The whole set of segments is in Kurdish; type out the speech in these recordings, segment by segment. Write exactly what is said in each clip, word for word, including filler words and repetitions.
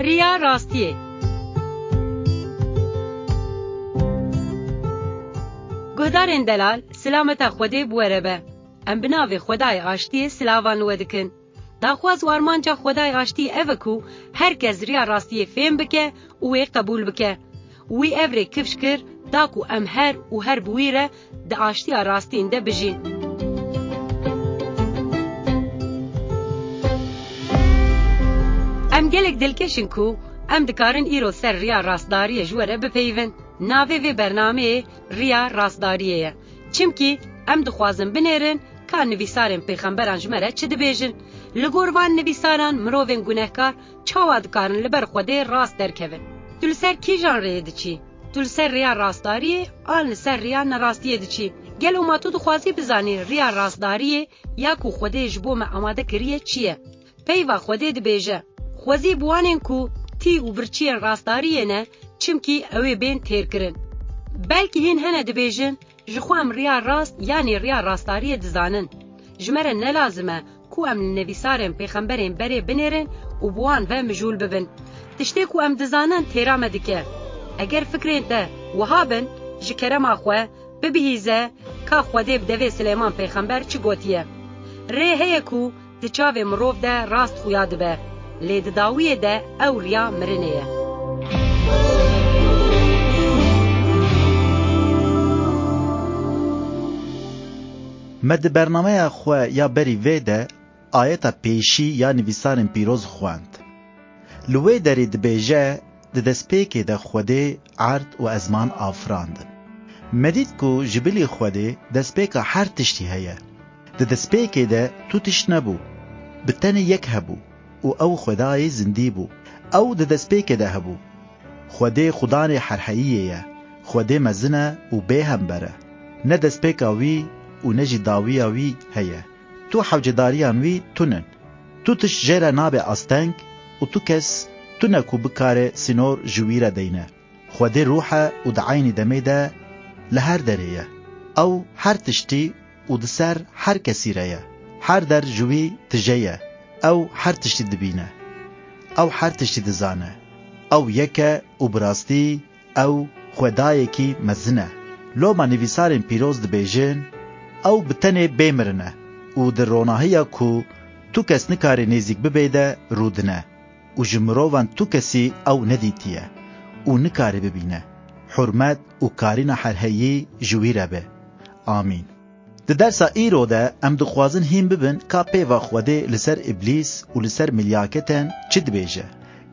Riya rastiyê. Guhdarên delal, silameta Xwedê bi we re be. Em bi navê Xwedayê Aştiyê silavan li we dikin. Daxwaz û armanca Xwedayê Aştiyê ev e ku her kes riya rastiyê fêm bike û wê qebûl bike. Wî ev rê kifş kir, da ku em her û her bi wî re di aştiya rastîn de bijîn. Em gelek dilkeş in ku em dikarin îro ser riya rastdariyê ji we re bipeyivin. Navê vê bernameyê Riya Rastdariyê ye. Çimkî em dixwazin binêrin ka nivîsarên pêxemberan ji me re çi dibêjin. Li gor van nivîsaran mirovên gunehkar çawa dikarin li ber Xwedê rast derkevin? Tu li ser kîjan rêyê diçî? Tu li ser rêya rastdariyê an li ser rêya nerastiyê diçî? Gelo ma tu dixwazî bizanî rêya rastdariyê ya ku Xwedê ji bo me amade kiriye çi ye? Peyva Xwedê dibêje, Xwezî bi wanên ku tî û birçiyên rastdariyê ne, çimkî ew ê bên têrkirin. Belkî hîn hene dibêjin, Ji xwe em riya rast yanî riya rastdariyê dizanin. Ji me re ne lazim e ku em li nivîsarên pêxemberên berê binêrin û bi wan ve mijûl bibin. Tiştê ku em dizanin têra me dike. Eger fikrên te wiha bin, ji kerema xwe bibihîze ka Xwedê bi devê Silêman pêxember çi gotiye. Rê heye ku di çavê mirov de rast xuya dibe, lê di dawiyê de ew riya mirinê ye. Me di bernameya xwe ya berî vê de ayeta pêşî ya nivîsarên pîroz xwend. Li wê derê dibêje, Di destpêkê de Xwedê erd û ezman afirandin. Me dît ku ji bilî Xwedê destpêka her tiştî heye. Di destpêkê de tu tişt nebû. Bi tenê yek hebû û ew Xwedayê zindî bû. Ew di destpêkê de hebû. Xwedê Xudanê herheyiyê ye. Xwedê mezin e û bêhember e. Ne destpêka wî û ne jî dawiya wî heye. Tu hewcedariyan wî tunin. Tu tişt jê re nabe asteng û tu kes tune ku bikare sînor ji wî re deyne. Xwedê ruh e û di eynî demê de li her derê ye. Ew her tiştî û di ser her kesî re ye. Her der ji wî tije ye. Ew her tiştî dibîne. Ew her tiştî dizane. Ew yek e û bi rastî ew Xwedayekî mezin e. Loma nivîsarên pîroz dibêjin, Ew bi tenê bê mirin e û di ronahiya ku tu kes nikare nêzîk bibê de rûdine û ji mirovan tu kesî ew nedîtiye û nikare bibîne. Hurmet û karîna herheyî ji wî re be. Amîn. Di dersa îro de em dixwazin hîn bibin ka peyva Xwedê li ser Îblîs û li ser milyaketên çi dibêje.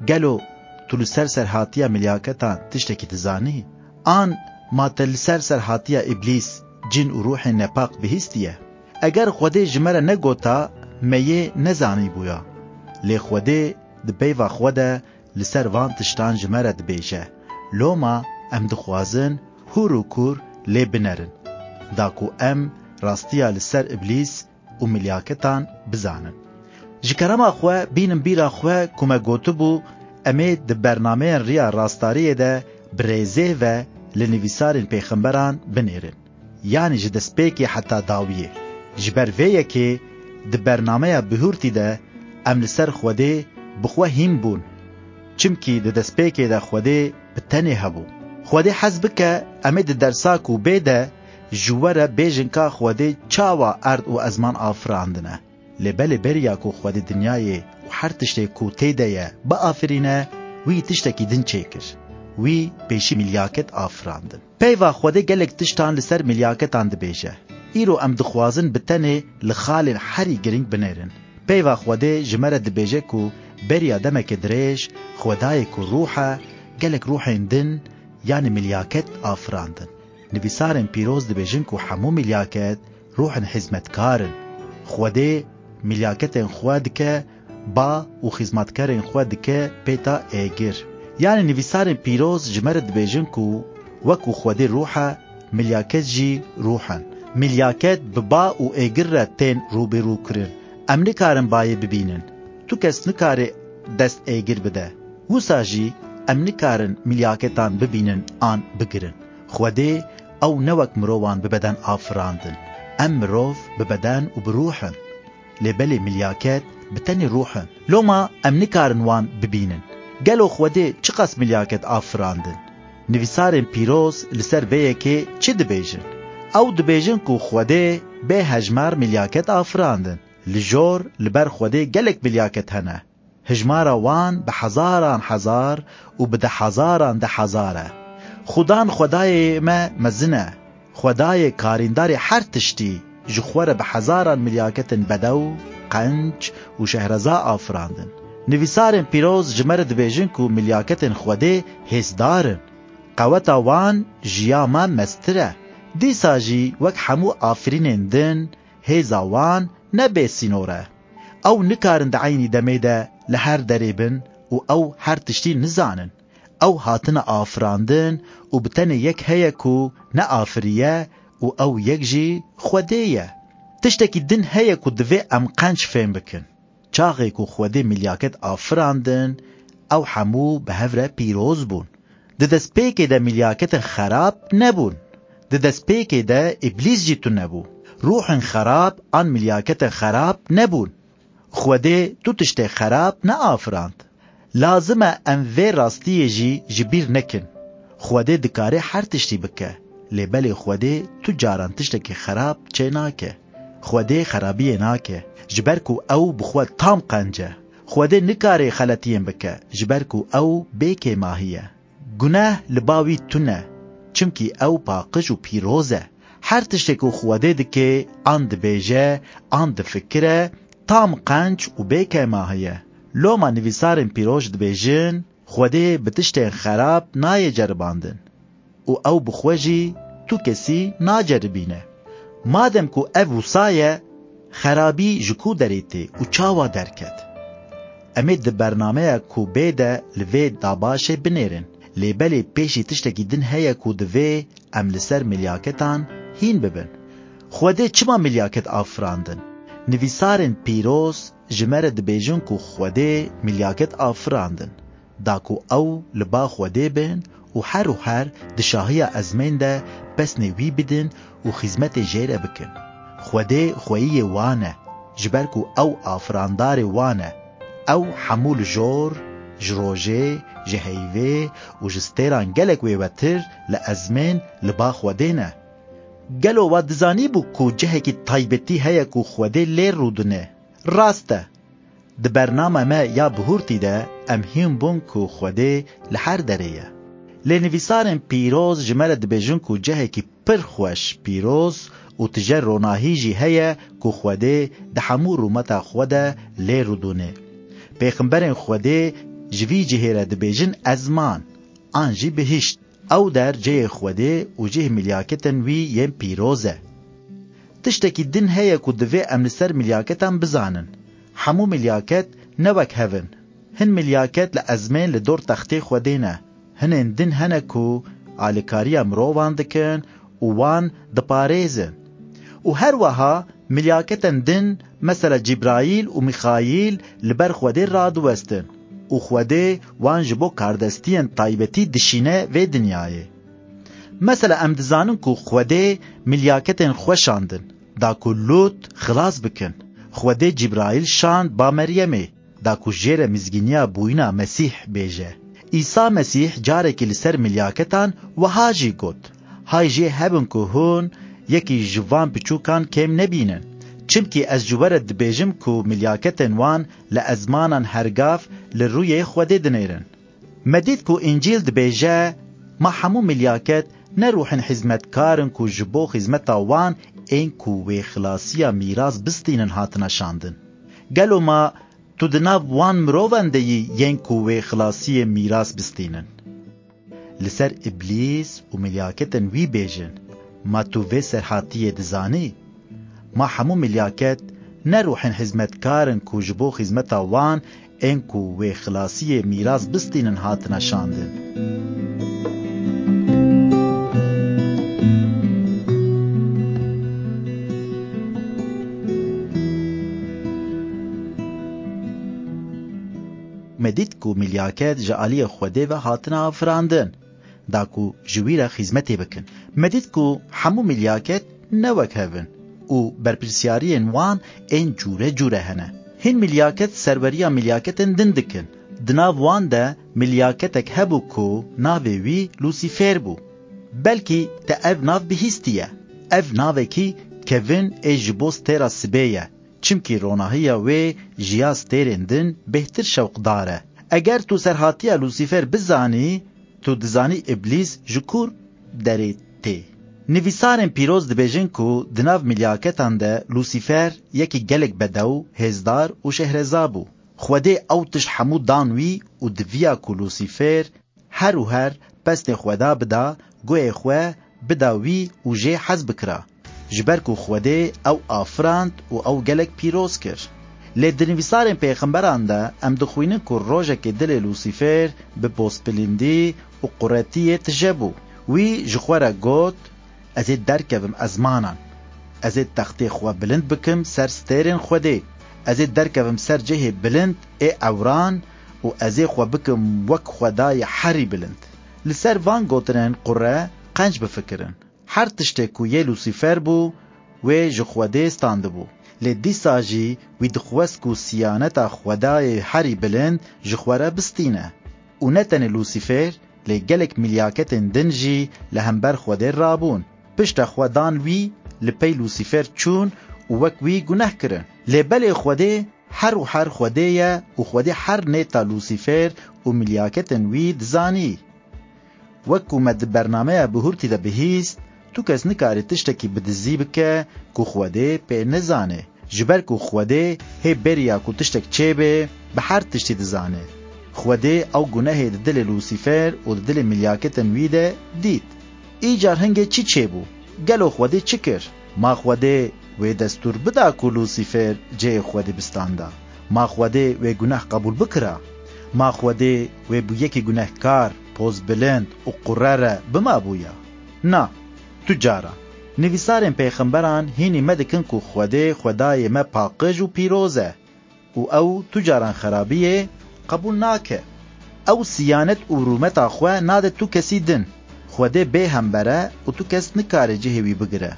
Gelo tu li ser serhatiya milyaketan tiştekî dizanî? An ma te li ser serhatiya Îblîs, cin û ruhên nepak bihîstiye? Eger Xwedê ji me re negota, me yê nezanîbûya. Lê Xwedê di peyva xwe de li ser van tiştan ji me re dibêje. Loma em dixwazin hûr û kûr lê binerin, da ku em rastiya li ser Îblîs û milyaketan bizanin. Ji kerema xwe bînin bîra xwe ku me gotibû, em ê di bernameyên Riya Rastariyê de bi rêzê ve li nivîsarên pêxemberan binêrin. Yanî ji destpêkê heta dawiyê. Ji ber vê yekê di bernameya bihurtî de em li ser Xwedê bi xwe hîn bûn. Çimkî di destpêkê de Xwedê bi tenê hebû. Xwedê hez bike em ê di dersa ku bê de ji we re bêjin ka Xwedê çawa erd û ezman afirandine. Lê belê beriya ku Xwedê dinyayê û her tiştê ku tê de ye biafirîne, wî tiştekî din çêkir. Wî pêşî milyaket afirandin. Peyva Xwedê gelek tiştan li ser milyaketan dibêje. Îro em dixwazin bi tenê li xalên herî girîng binêrin. Peyva Xwedê ji me re dibêje ku beriya demeke dirêj Xwedayê ku ruh e, gelek ruhên din, yanî milyaket afirandin. Nivîsarên pîroz dibêjin ku hemû milyaket ruhên hizmetkar in. Xwedê milyaketên xwe dike ba û xizmatkarên xwe dike pêta êgir. Yanî nivîsarên pîroz ji me re dibêjin ku wekû Xwedê ruh e, milyaket jî ruh in. Milyaket bi ba û êgir re tên rûbirû kirin. Em nikarin bayê bibînin. Tu kes nikare dest êgir bide. Wisa jî em nikarin milyaketan bibînin an bigirin. Xwedê ew ne wek mirovan bi beden afirandin. Em mirov bi beden û bi ruh in. Lê belê milyaket bi tenê ruh in. Loma em nikarin wan bibînin. Gelo Xwedê çiqas milyaket afirandin? Nivîsarên pîroz li ser vê yekê çi dibêjin? Ew dibêjin ku Xwedê bê hejmar milyaket afirandin. Li jor, li ber Xwedê gelek milyaket hene. Hijmara wan bi hezaran hezar û bi dehezaran dehezar e. Xudan Xwedayê me mezin e. Xwedayê karîndarê her tiştî ji xwe re bi hezaran milyaketên bedew, qenc û şehreza afirandin. Nivîsarên pîroz ji me re dibêjin ku milyaketên Xwedê hêzdar in. Qeweta wan ji ya me mestir e. Dîsa jî wek hemû afirînên din, hêza wan ne bêsînor e. Ew nikarin di eynî demê de li her derê bin û ew her tiştî nizanin. Ew hatine afirandin û bi tenê yek heye ku neafiriye û ew yek jî Xwedê ye. Tiştekî din heye ku divê em qenc fêm bikin. Çaxê ku Xwedê milyaket afirandin, ew hemû bi hev re pîroz bûn. Di destpêkê de milyaketên xerab nebûn. Di destpêkê de Îblîs jî tune bû. Ruhên xerab an milyaketên xerab nebûn. Xwedê tu tiştê xerab neafirand. Lazim e em vê rastiyê jî ji bîr nekin. Xwedê dikare her tiştî bike, lê belê Xwedê tu caran tiştekî xerab çênake. Xwedê xerabiyê nake, ji ber ku ew bi xwe tam qenc e. Xwedê nikare xeletiyên bike, ji ber ku ew bê kêmahî ye. Guneh li ba wî tune, çimkî ew paqij û pîroz e. Her tiştê ku Xwedê dike, an dibêje, an difikire, tam qenc û bê kêmahî ye. Loma nivîsarên pîroz dibêjin, Xwedê bi tiştên xerab nayê ceribandin û ew bi xwe jî tu kesî naceribîne. Madem ku ev wisa ye, xerabî ji ku derê tê û çawa derket? Em ê di bernameya ku bê de li vê dabaşê binêrin. Lê belê pêşî tiştekî din heye ku divê em li ser milyaketan hîn bibin. Xwedê çima milyaket afirandin? Nivîsarên pîroz ji me re dibêjin ku Xwedê milyaket afirandin, da ku ew li ba Xwedê bin û her û her di şahiya ezmên de pesnê wî bidin û xîzmetê jê re bikin. Xwedê xweyiyê wan e, ji ber ku ew afirandarê wan e. Ew hemû li jor, ji rojê, ji heyvê û ji stêran gelek wêwetir li ezmên li ba Xwedê ne. Gelo we dizanîbû ku cihekî taybetî heye ku Xwedê lê rûdine? Rast e. Di bernama me ya bihurtî de em hîn bûn ku Xwedê li her derê ye. Lê nivîsarên pîroz ji me re dibêjin ku cihekî pir xweş, pîroz û tije ronahî jî heye ku Xwedê di hemû rûmeta xwe de lê rûdûne. Pêxemberên Xwedê ji vî cihê re dibêjin ezman, an jî bihişt. Ew der cihê Xwedê û cihê milyaketên wî yên pîroz e. Tiştekî din heye ku divê em li ser milyaketan bizanin. Hemû milyaket ne wek hev in. Hin milyaket li ezmên li dor textê Xwedê ne. Hinên din hene ku alîkariya mirovan dikin û wan diparêzin. Û her wiha milyaketên din, mesela Cîbraîl û Mîxaîl, li ber Xwedê radiwestin û Xwedê wan ji bo kardestiyên taybetî dişîne vê dinyayê. Mesela em dizanin ku Xwedê milyaketên xwe şandin, da ku Lût xilas bikin. Xwedê Cîbraîl şand ba Meryemê, da ku jê re mizgîniya bûyîna Mesîh bêje. Îsa Mesîh carekî li ser milyaketan wiha jî got, Hay jê hebin ku hûn yekî ji van piçûkan kêm nebînin. Çimkî ez ji we re dibêjim ku milyaketên wan li ezmanan hergav li rûyê Xwedê dinêrin. Me dît ku Încîl dibêje, Ma hemû milyaket ne ruhên xizmetkar in ku ji bo xizmeta wan ên ku wê xilasiya mîras bistînin hatine şandin? Gelo ma tu di nav wan mirovan de yî yên ku wê xilasiyê mîras bistînin? Li ser Îblîs û milyaketên wî bêjin, Ma tu vê serhatiyê dizanî? Ma hemû milyaket ne ruhên xizmetkar in ku ji bo xizmeta wan ên ku wê xilasiyê mîras bistînin hatine şandin? Me dît ku milyaket ji aliyê Xwedê ve hatine afirandin, da ku ji wî re xîzmetê bikin. Me dît ku hemû milyaket ne wek hev in û berpirsyariyên wan ên cûre cûre hene. Hin milyaket serweriya milyaketên din dikin. Di nav wan de milyaketek hebû ku navê wî Lûsîfer bû. Belkî te ev nav bihîstiye. Ev navekî kevin ê ji bo stêra sibê ye, çimkî ronahiya wê ji ya stêrên din bêhtir şewqdar e. Eger tu serhatiya Lûsîfer bizanî, tu dizanî Îblîs ji ku derê tê. Nivîsarên pîroz dibêjin ku di nav milyaketan de Lûsîfer yekî gelek bedew, hêzdar û şehreza bû. Xwedê ew tişt hemû dan wî û diviya ku Lûsîfer her û her pestê Xweda bida, guhê xwe bida wî û jê hez bikira. Ji ber ku Xwedê ew afirand û ew gelek pîroz kir. Lê di nivîsarên pêxemberan de em dixwînin ku rojekê dilê Lûsîfer bi pozbilindî û quretiyê tije bû. Wî ji xwe re got, "Ez ê derkevim ezmanan. Ez ê textê xwe bilind bikim ser stêrên Xwedê. Ez ê derkevim ser cihê bilind ê ewran û ez ê xwe bikim wek Xwedayê herî bilind." Li ser van gotinên qure qenc bifikirin. Her tiştê ku yê Lûsîfer bû, wê ji Xwedê standibû. Lê dîsa jî wî dixwest ku siyaneta Xwedayê herî bilind ji xwe re bistîne. Û ne tenê Lûsîfer, lê gelek milyaketên din jî li hember Xwedê rabûn. Pişta xwe dan wî, li pey Lûsîfer çûn û wek wî guneh kirin. Lê belê Xwedê her û her Xwedê ye û Xwedê her nêta Lûsîfer û milyaketên wî dizanî. Wek ku me di bernameya bihurtî de bihîst, tu kes nikare tiştekî bi dizî bike ku Xwedê pê nizane. Ji ber ku Xwedê hê beriya ku tiştek çêbe, bi her tiştî dizane. Xwedê ew gunehê di dilê Lûsîfer û di dilê milyaketên wî de dît. Îcar hingê çi çêbû? Gelo Xwedê çi kir? Ma Xwedê wê destûr bida ku Lûsîfer cihê Xwedê bistanda? Ma Xwedê wê guneh qebûl bikira? Ma Xwedê wê bû yekî gunehkar, pozbilind û qure re bimabûya? Na, tu cara. Nivîsarên pêxemberan hînî me dikin ku Xwedê Xwedayê me paqij û pîroz e. Û ew tu caran xerabiyê qebûl nake. Ew siyanet û rûmeta xwe nade tu kesî din. Xwedê bê hember e û tu kes nikare cihê wî bigire.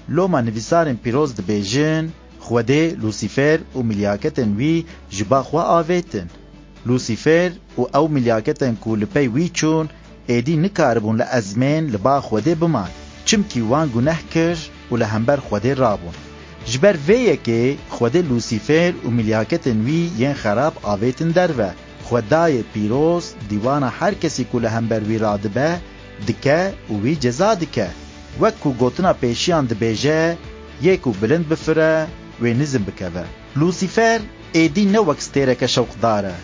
Loma nivîsarên pîroz dibêjin, Xwedê Lûsîfer û milyaketên wî ji ba xwe avêtin. Lûsîfer û ew milyaketên ku li pey wî çûn, êdî nikaribûn li ezmên li ba Xwedê biman, çimkî wan guneh kir û li hember Xwedê rabûn. Ji ber vê yekê Xwedê Lûsîfer û milyaketên wî yên xerab avêtin derve. Xwedayê pîroz dîwana her kesî ku li hember wî radibe, dike û wî ceza dike. Wek ku gotina pêşiyan dibêje, yê ku bilind bifire, wê nizm bikeve. Lûsîfer êdî ne wek stêreke şewqdar e,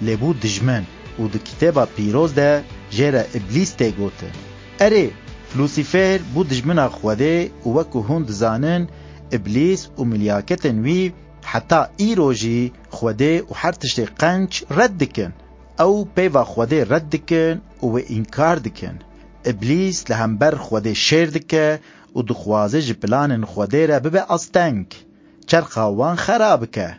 lê bû dijmin û di Kitêba Pîroz de jê re Îblîs tê gotin. Erê, Lûsîfer bû dijmina Xwedê û wek ku hûn dizanin, Îblîs û milyaketên wî heta îro jî Xwedê û her tiştê qenc red dikin. Ew peyva Xwedê red dikin û wê înkar dikin. Îblîs li hember Xwedê şêr dike û dixwaze ji planên Xwedê re bibe asteng. Çerxa wan xera bike.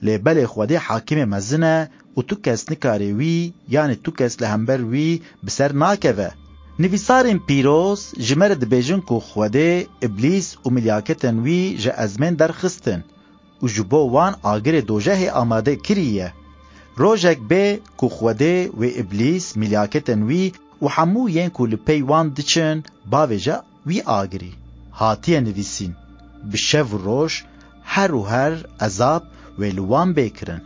Lê belê Xwedê hakimê mezin e û tu kes nikare wî, yanî tu kes li hember wî bi ser nakeve. Nivîsarên pîroz ji me re dibêjin ku Xwedê Îblîs û milyaketên wî ji ezmên derxistin û ji bo wan agirê dojehê amade kiriye. Rojek bê ku Xwedê wê Îblîs, milyaketên wî û hemû yên ku li pey wan diçin, bavêje wî agirî. Hatiye nivîsîn, bi şev û roj her û her ezab wê li wan bê kirin.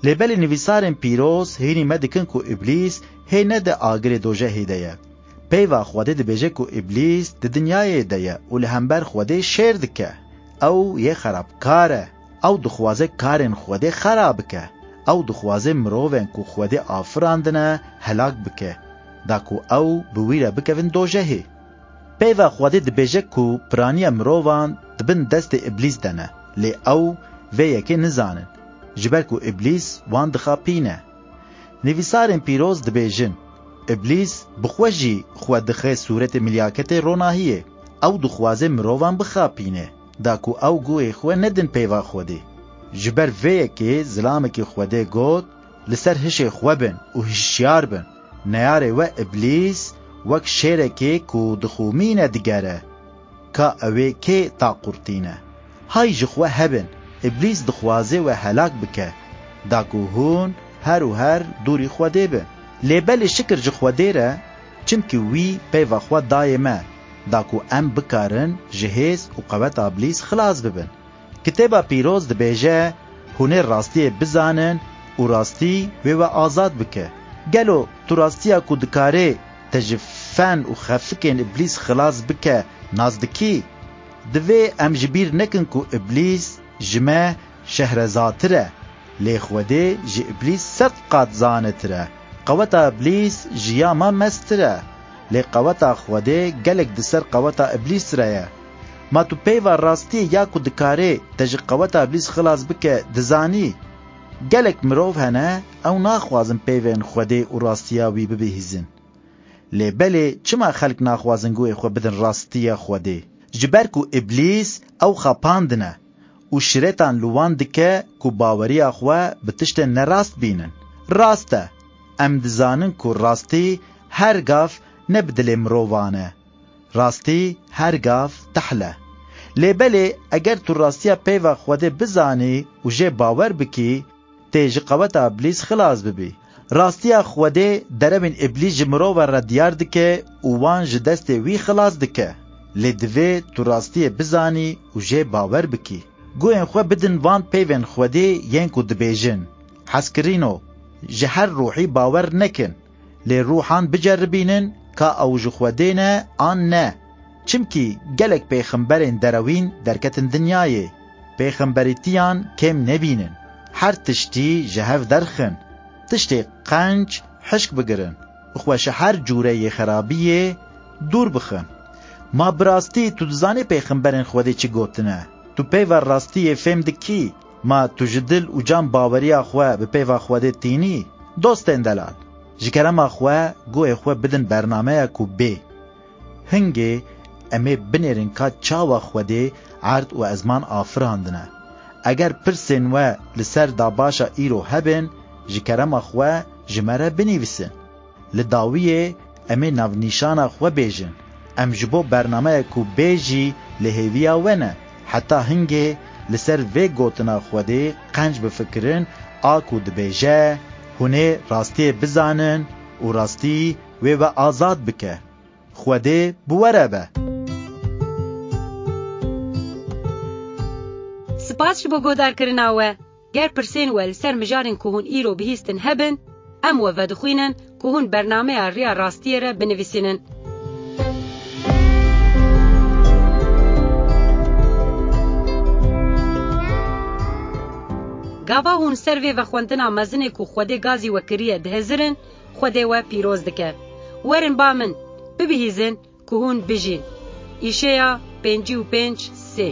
Lê belê nivîsarên pîroz hînî me dikin ku Îblîs hê ne di agirê dojehê de ye. Peyva Xwedê dibêje ku Îblîs di dinyayê de ye û li hember Xwedê şêr dike. Ew yê xerabkar e. Ew dixwaze karên Xwedê xera bike. Ew dixwaze mirovên ku Xwedê afirandine helak bike, da ku ew bi wî re bikevin dojehê. Peyva Xwedê dibêje ku piraniya mirovan di bin destê Îblîs de ne, lê ew vê yekê nizanin, ji ber ku Îblîs wan dixapîne. Nivîsarên pîroz dibêjin, Îblîs bi xwe jî xwe dixe sûretê milyaketê ronahiyê. Ew dixwaze mirovan bixapîne, da ku ew guhê xwe nedin peyva Xwedê. Ji ber vê yekê zilamekî Xwedê got, "Li ser hişê xwe bin û hişyar bin. Neyarê we Îblîs wek şêrekê ku dixumîne digere. Ka ew ê kê taqurtîne? Hay ji xwe hebin, Îblîs dixwaze we helak bike, da ku hûn her û her dûrî Xwedê bin. Lê belê şikir ji Xwedê re, çimkî wî peyva xwe dayê me, da ku em bikarin ji hêz û qeweta Iblîs xilas bibin. Kitêba Pîroz dibêje, hûn ê rastiyê bizanin û rastî wê we azad bike. Gelo tu rastiya ku dikarê te ji fen û xefikên Iblîs xilas bike nas dikî? Divê em ji bîr nekin ku Iblîs ji me şehrezatir e, lê Xwedê ji Iblîs sed qat zanetir e. Qeweta Iblîs ji ya me mestir e, lê qeweta Xwedê gelek di ser qeweta Iblîs re ye. Ma tu peyva rastiyê ya ku dikarê te ji qeweta Iblîs xilas bike dizanî? Gelek mirov hene, ew naxwazin peyvên Xwedê û rastiya wî bibihîzin. Lê belê çima xelk naxwazin guhê xwe bidin rastiya Xwedê? Ji ber ku Îblîs ew xapandine û şiretan li wan dike ku baweriya xwe bi tiştên nerast bînin. Rast e, em dizanin ku rastî her gav ne bi dilê mirovan e. Rastî her gav tehl e. Lê belê eger tu rastiya peyva Xwedê bizanî û jê bawer bikî, tê ji qeweta Îblîs xilas bibî. Rastiya Xwedê derewên Îblîs ji mirova re diyar dike û wan ji destê wî xilas dike. Lê divê tu rastiyê bizanî û jê bawer bikî. Guhên xwe bidin van peyvên Xwedê yên ku dibêjin, hezkirîno, ji her ruhî bawer nekin. Lê ruhan biceribînin ka ew ji Xwedê ne an ne. Çimkî gelek pêxemberên derewîn derketin dinyayê. Pêxemberîtiyan kêm nebînin. Her tiştî ji hev derxin. Tiştê qenc hişk bigirin. Xwe ji her cûreyê xerabiyê dûr bixin. Ma bi rastî tu dizanî pêxemberên Xwedê çi gotine? Tu peyva rastiyê fêm dikî? Ma tu ji dil û can baweriya xwe bi peyva Xwedê tînî? Dostên delal, ji kerema xwe guhê xwe bidin bernameya ku bê. Hingê em ê binêrin ka çawa Xwedê erd û ezman afirandine. Eger pirsên we li ser dabaşa îro hebin, ji kerema xwe ji me re binivîsin. Li dawiyê em ê navnîşana xwe bêjin. Em ji bo bernameya ku bê jî li hêviya we ne. Heta hingê li ser vê gotina Xwedê qenc bifikirin, a ku dibêje, hûn ê rastiyê bizanin û rastî wê we azad bike. Xwedê bi we re be. Spas ji bo guhdarkirina we. Ger pirsên we li ser mijarên ku hûn îro bihîstin hebin, em we vedixwînin ku hûn bernameya Riya Rastiyê re binivîsînin. Gava hûn ser vê vexwendina mezinê ku Xwedê gazî we kiriye dihizirin, Xwedê we pîroz dike. Werin ba min, bibihîzin ku hûn bijîn. Îşeya pêncî û pênc sê.